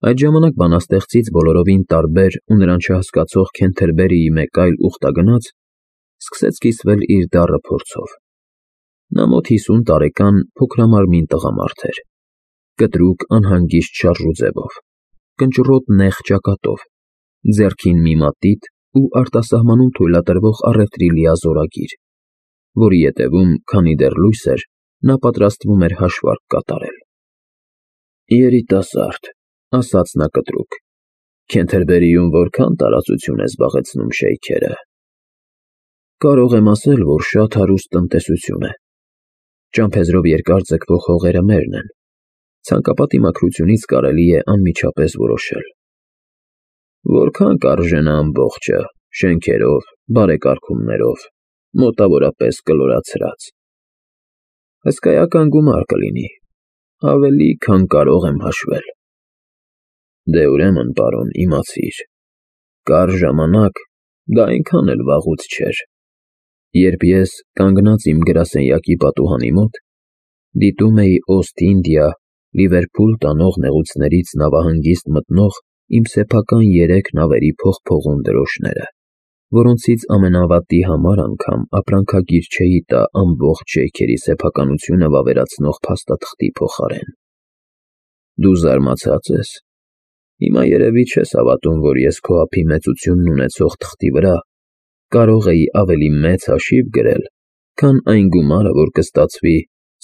Այդ ժամանակ բանաստեղծից բոլորովին տարբեր ու նրան չհասկացող Քենթերբերիի մեկ այլ ուխտագնաց սկսեց կիսվել իր դառը փորձով։ Նա մոտ 50 տարեկան փոքրամարմին տղամարդ էր, կտրուկ անհանգիստ շարժուձևով, կնճռոտ նեղ ճակատով, ձեռքին մի մատիտ ու արտասահմանում թույլատրվող առևտրի լիազորագիր, որի ետևում, քանի դեռ լույս էր, նա պատրաստվում էր հաշվարկ կատարել։ Երիտասարդ, ասաց նա կտրուկ, Քենթերբերիում որքան տարածություն է զբաղեցնում շեյքերը։ Կարող եմ ասել, որ շատ հարուստ տնտեսություն է։ Ճամփեզրով երկար ձգվող հողերը մերն են։ Ցանկապատի մաքրությունից կարելի է անմիջապես որոշել։ Որքան կարժենա ամբողջը, շենքերով, բարեկարգումներով, մոտավորապես կլորացրած։ Հսկայական գումար կլինի, ավելի, քան կարող եմ հաշվել։ Դե ուրեմն, պարոն, իմացիր, կար ժամանակ դա այնքան էլ վաղուց չէր, երբ ես, կանգնած իմ գրասենյակի պատուհանի մոտ, դիտում էի Օստ-Ինդիա, Լիվերփուլ տանող նեղուցներից նավահանգիստ մտնող իմ սեփական 3 նավերի փողփողուն դրոշները, որոնցից ամենավատի համար անգամ ապրանքագիր չէի տա ամբողջ շեյքերի սեփականությունը վավերացնող փաստաթղթի փոխարեն։ Դու զարմացած ես։ Հիմա երևի չես հավատում, որ ես քո ափի մեծությունն ունեցող թղթի վրա կարող էի ավելի մեծ հաշիվ գրել, քան այն գումարը, որ կստացվի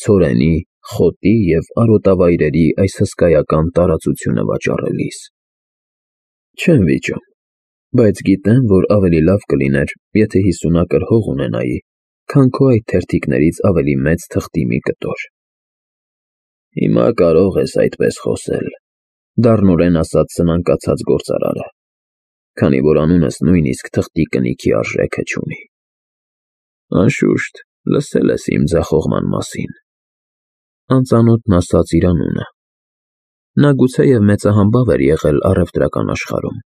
ցորենի, խոտի և արոտավայրերի այս հսկայական տարածությունը վաճառելիս։ Չեմ վիճում, բայց գիտեմ, որ ավելի լավ կլիներ, եթե 50 ակր հող ունենայի, քան քո այդ թերթիկներից ավելի մեծ թղթի մի կտոր։ Հիմա կարող ես այդպես խոսել, դառնորեն ասաց սնանկացած գործարարը, քանի որ անունս նույնիսկ թղթի կնիքի արժեքը չունի։ Անշուշտ, լսել ես իմ ձախողման մասին։ Անծանոթն ասաց իր անունը։ Նա գուցեև մեծահանբավ էր եղել առևտրական աշխարհում,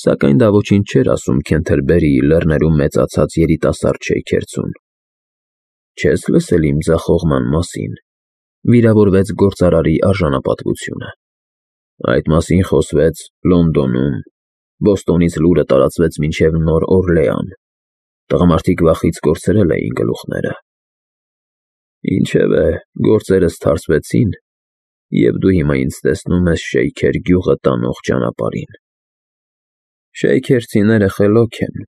սակայն դա ոչինչ չէր ասում Քենթերբերիի լեռներում մեծացած երիտասարդ շեյքերցուն։ Չես լսել իմ ձախողման մասին, վիրավորվեց գործարարի արժանապատվությունը։ Այդ մասին խոսվեց Լոնդոնում, Բոստոնից լուրը տարածվեց մինչև Նոր Օրլեան, տղամարդիկ վախից կորցրել էին գլուխները։ Ինչևէ, գործերս թարսվեցին, և դու հիմա ինձ տեսնում ես շեյքեր գյուղը տանող ճանապարհին։ Շեյքերցիները խելոք են,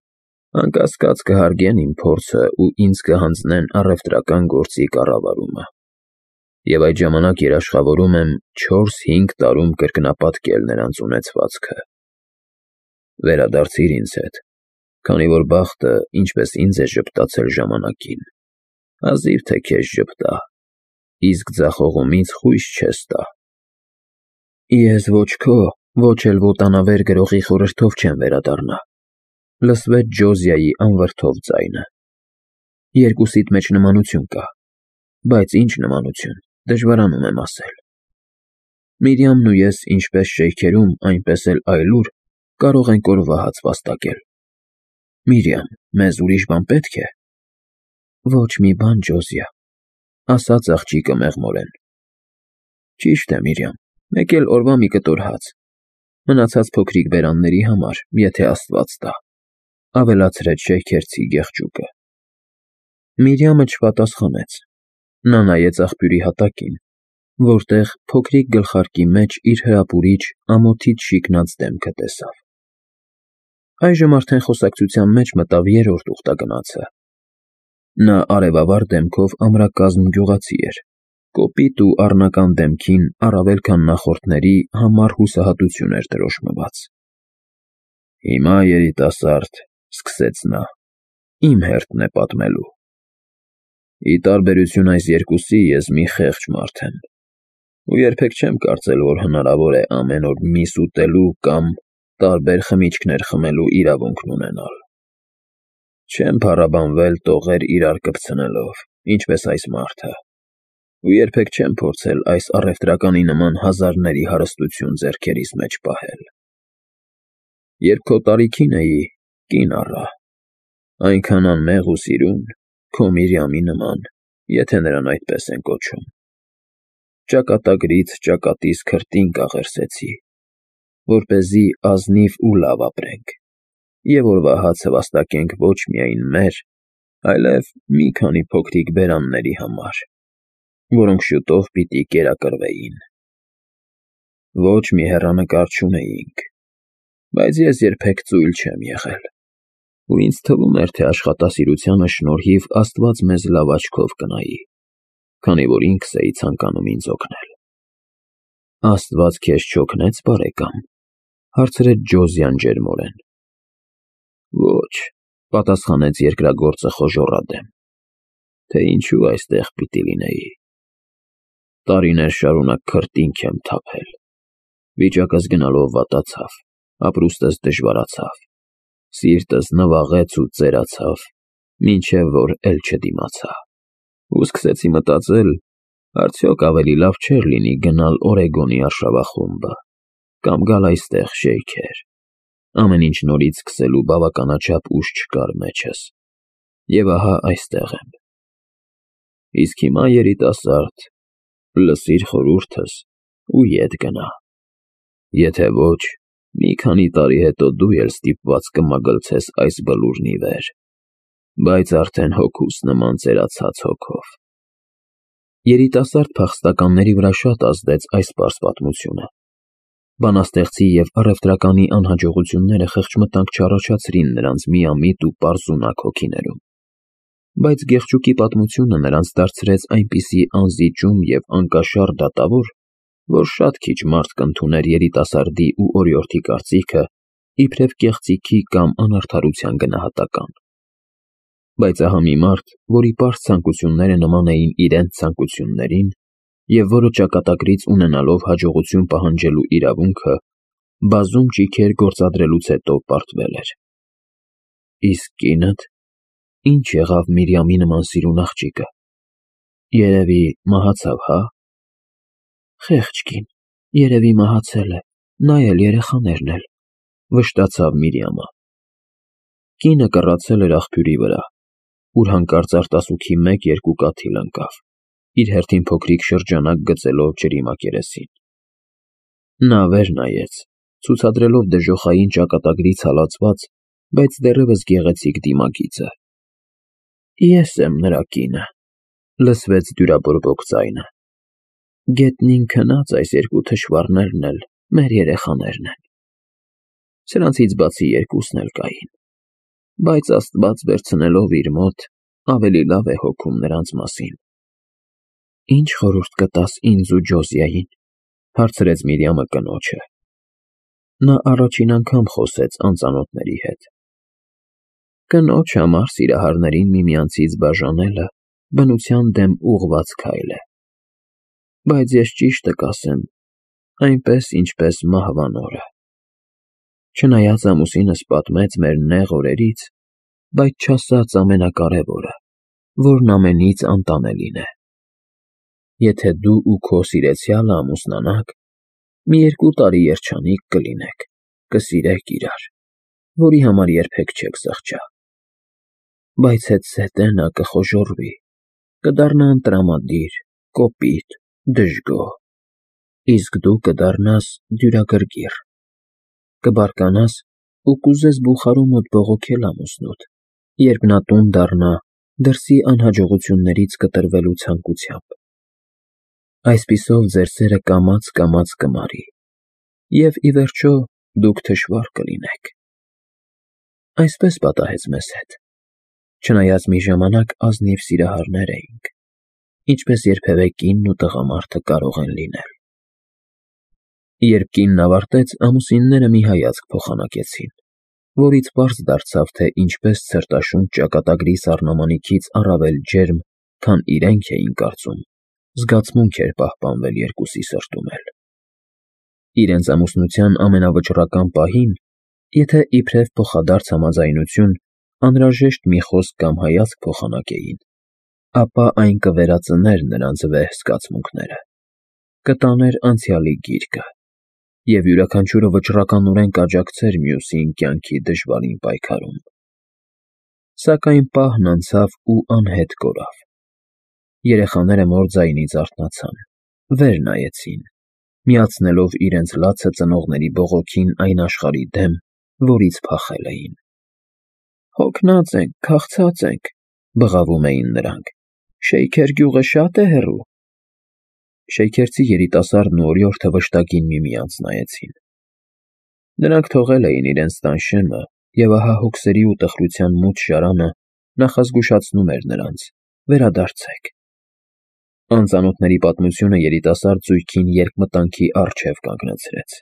անկասկած կհարգեն իմ փորձը ու ինձ կհանձնեն առևտրական գործի կառավարումը։ Եվ այդ ժամանակ երաշխավորում եմ 4-5 տարում կրկնապատկել նրանց ունեցվածքը։ Վերադարձիր ինձ հետ, քանի որ բախտը, ինչպես ինձ է ժպտացել ժամանակին, հազիվ թե քեզ ժպտա, իսկ ձախողումից խույս չես տա։ Ես ոչ քո, ոչ էլ ոտանավեր գրողի խորհրդով չեմ վերադառնա, լսվեց Ջոզիայի անվրդով ձայնը։ Երկուսիդ մեջ նմանություն կա, բայց ինչ նմանություն, դժվարանում եմ ասել։ Միրիամն ու ես ինչպես շեյքերում, այնպես էլ այլուր կարող ենք օրվա հաց վաստակել։ Միրիամ, մեզ ուրիշ բան պետք է։ Ոչ մի բան, Ջոզիա, ասաց աղջիկը մեղմորեն։ Ճիշտ է, Միրիամ, մեկ էլ օրվա մի կտոր հաց, մնացած փոքրիկ բերանների համար, եթե Աստված տա, ավելացրեց շեյքերցի գեղջուկը։ Միրիամը չպատասխանեց։ Նա նայեց աղբյուրի հատակին, որտեղ փոքրիկ գլխարկի մեջ իր հրապուրիչ, ամոթից շիկնած դեմքը տեսավ։ Այժմ արդեն խոսակցության մեջ մտավ 3-րդ ուխտագնացը։ Նա արևավար դեմքով ամրակազմ գյուղացի էր, կոպիտ ու առնական դեմքին առավել քան նախորդների համառ հուսահատություն էր դրոշմված։ Հիմա, երիտասարդ, սկսեց նա, իմ հերթն է պատմելու։ Ի տարբերություն այս երկուսի, ես մի խեղճ մարդ եմ, ու երբեք չեմ կարծել, որ հնարավոր է ամեն օր միս ուտելու կամ տարբեր խմիչքներ խմելու իրավունքն ունենալ։ Չեմ փառաբանվել տողեր իրար կպցնելով, ինչպես այս մարդը, ու երբեք չեմ փորձել այս առևտրականի նման հազարների հարստություն ձեռքերիս մեջ պահել։ Երբ քո տարիքին էի, կին առա, այնքան անմեղ ու սիրուն, քո Միրիամի նման, եթե նրան այդպես են կոչում։ Ճակատագրից ճակատիս քրտինք աղերսեցի, որպեսզի ազնիվ ու լավ ապրենք, և օրվա հացը վաստակենք ոչ միայն մեր, այլև մի քանի փոքրիկ բերանների համար, որոնք շուտով պիտի կերակրվեին։ Ոչ մի հեռանկար չունեինք, բայց ես երբեք ծույլ չեմ եղել, ու ինձ թվում էր, թե աշխատասիրությանը շնորհիվ Աստված մեզ լավ աչքով կնայի, քանի որ ինքս էի ցանկանում ինձ օգնել։ Աստված քեզ չօգնեց, բարեկամ, հարցրեց Ջոզյան ջերմորեն։ Ոչ, պատասխանեց երկրագործը խոժոռադեմ, թե ինչու այստեղ պիտի լինեի։ Տարիներ շարունակ քրտինք եմ թափել, վիճակս գնալով վատացավ, ապրուստս դժվարացավ, սիրտս նվաղեց ու ծերացավ, մինչև որ էլ չդիմացա, ու սկսեցի մտածել, արդյոք ավելի լավ չէր լինի գնալ Օրեգոնի արշավախումբը, կամ գալ այստեղ շեյքեր, ամեն ինչ նորից սկսելու բավականաչափ ուժ չկար մեջս, և ահա այստեղ եմ։ Իսկ հիմա, երիտասարդ, լսիր խորհուրդս ու ետ գնա, եթե ոչ, մի քանի տարի հետո դու էլ ստիպված կմագլցես այս բլուրն ի վեր, բայց արդեն հոգուս նման ծերացած հոգով։ Երիտասարդ փախստականների վրա շատ ազդեց այս պարզ պատմությունը։ Բանաստեղծի և առևտրականի անհաջողությունները խղճմտանք չառաջացրին նրանց միամիտ ու պարզունակ հոգիներում, բայց Գեղչուկի պատմությունը նրանց դարձրեց այնպիսի անզիջում և անկաշառ դատավոր, որ շատ քիչ մարդ կընդուներ երիտասարդի ու օրիորդի կարծիքը իբրև կեղծիքի կամ անարդարության գնահատական։ Բայց ահա մի մարդ, որի պարզ ցանկությունները նման էին իրենց ցանկություններին, և որը ճակատագրից ունենալով հաջողություն պահանջելու իրավունքը, բազում ճիգեր գործադրելուց հետո պարտվել էր։ Իսկ կինդ, ինչ եղավ Միրիամի նման սիրուն աղջիկը, երևի մահացավ, հա։ Խեղճ կին, երևի մահացել է, նա էլ երեխաներն էլ, վշտացավ Միրիամը։ Կինը կռացել էր աղբյուրի վրա, ուր հանկարծ արտասուքի 1-2 կաթիլ ընկավ, իր հերթին փոքրիկ շրջանակ գծելով ջրի մակերեսին։ Նա վեր նայեց, ցուցադրելով դժոխային ճակատագրից հալածված, բայց դեռևս գեղեցիկ դիմագիծը։ Ես եմ նրա կինը, լսվեց դյուրաբորբոք ձայնը։ Գետնին քնած այս երկու թշվառներն էլ մեր երեխաներն են։ Սրանցից բացի երկուսն էլ կային, բայց Աստված վերցնելով իր մոտ ավելի լավ է հոգում նրանց մասին։ Ինչ խորհուրդ կտաս ինձ ու Ջոզիային, հարցրեց Միրիամը կնոջը։ Նա առաջին անգամ խոսեց անծանոթների հետ։ Կնոջ համար սիրահարներին միմյանցից բաժանելը բնության դեմ ուղղված քայլ է։ Բայց ես ճիշտը կասեմ, այնպես ինչպես մահվան օրը։ Չնայած ամուսինս պատմեց մեր նեղ օրերից, բայց չասաց ամենակարևորը, որն ամենից անտանելին է։ Եթե դու ու քո սիրեցյալը ամուսնանաք, մի 2 տարի երջանիկ կլինեք, կսիրեք իրար, որի համար երբեք չեք զղջա։ Բայց հետզհետե նա կխոժոռվի, կդառնա ընտրամադիր, կոպիտ, դժգոհ, իսկ դու կդառնաս դյուրագրգիռ, կբարկանաս ու կուզես բուխարու մոտ բողոքել ամուսնուդ, երբ նա տուն դառնա դրսի անհաջողություններից կտրվելու ցանկությամբ։ Այսպիսով ձեր սերը կամաց կմարի, և ի վերջո դուք թշվառ կլինեք։ Այսպես պատահեց մեզ հետ, չնայած մի ժամանակ ազնիվ սիրահարներ էինք, ինչպես երբևէ կինն ու տղամարդը կարող են լինել։ Երբ կինն ավարտեց, ամուսինները մի հայացք փոխանակեցին, որից պարզ դարձավ, թե ինչպես ցրտաշունչ ճակատագրի սառնամանիքից առավել ջերմ, քան իրենք էին կարծում, զգացմունք էր պահպանվել երկուսի սրտում էլ։ Իրենց ամուսնության ամենավճռական պահին, եթե իբրև փոխադարձ համաձայնություն, անհրաժեշտ մի խոսք կամ հայացք փոխանակեին, ապա այն կվերածներ նրանց վեհ զգացմունքները, կտաներ անցյալի գիրկը, և յուրաքանչյուրը վճռականորեն կաջակցեր մյուսին կյանքի դժվարին պայքարում։ Սակայն պահն անցավ ու անհետ կորավ։ Երեխաները մոր ձայնից արթնացան, վեր նայեցին, միացնելով իրենց լացը ծնողների բողոքին այն աշխարհի դեմ, որից փախել էին։ «Հոգնած ենք, քաղցած ենք», բղավում էին նրանք։ «Շեյքեր գյուղը շատ է հեռու»։ Շեյքերցի երիտասարդն ու օրիորդը վշտակին միմյանց նայեցին։ Նրանք թողել էին իրենց տան շեմը, և ահա հոգսերի ու տխրության մութ շարանը նախազգուշացնում էր նրանց. «Վերադարձեք»։ Անծանոթների պատմությունը երիտասարդ զույգին երկմտանքի առջև կանգնեցրեց։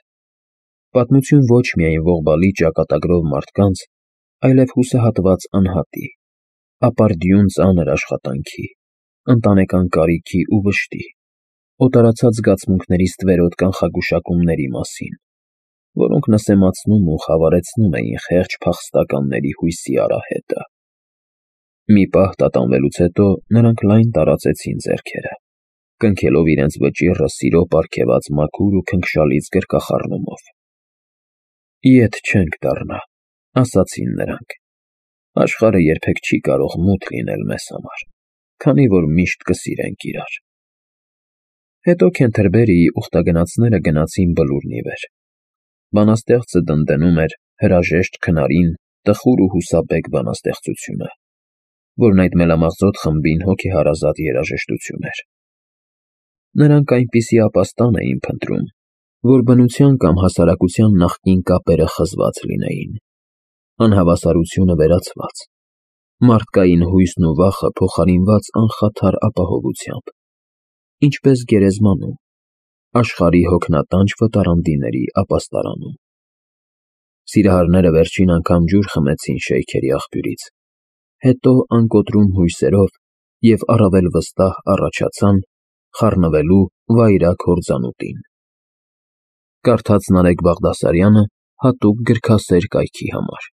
Պատմություն ոչ միայն ողբալի ճակատագրով մարդկանց, այլև հուսահատված անհատի, ապարդյուն ծանր աշխատանքի, ընտանեկան կարիքի ու վշտի, օտարացած զգացմունքների ստվերոտ կանխագուշակումների մասին, որոնք նսեմացնում ու խավարեցնում էին խեղճ փախստականների հույսի արահետը։ Մի պահ տատանվելուց հետո նրանք լայն տարածեցին ձեռքերը, կնքելով իրենց վճիռը սիրո պարգևած մաքուր ու քնքշալից գրկախառնումով։ «Ետ չենք դառնա», ասացին նրանք։ «Աշխարհը երբեք չի կարող մութ լինել մեզ համար, քանի որ միշտ կսիրենք իրար»։ Հետո Քենթերբերիի ուխտագնացները գնացին բլուրն ի վեր։ Բանաստեղծը դնդենում էր հրաժեշտ քնարին տխուր ու հուսաբեկ բանաստեղծությունը, որն այդ մելամաղձոտ խմբին հոգեհարազատ երաժշտություն էր։ Նրանք այնպիսի ապաստան էին փնտրում, որ բնության կամ հասարակության նախկին կապերը խզված լինեին, անհավասարությունը վերացված, մարդկային հույսն ու վախը փոխարինված անխաթար ապահովությամբ, ինչպես գերեզմանում, աշխարհի հոգնատանչ վտարանդիների ապաստարանում։ Սիրահարները վերջին անգամ ջուր խմեցին շեյքերի աղբյուրից, հետո անկոտրում հույսերով և առավել վստահ առաջացան խառնվելու վայրագ հորձանուտին։ Կարդաց Նարեկ Բաղդասարյանը հատուկ գրքասեր կայքի համար։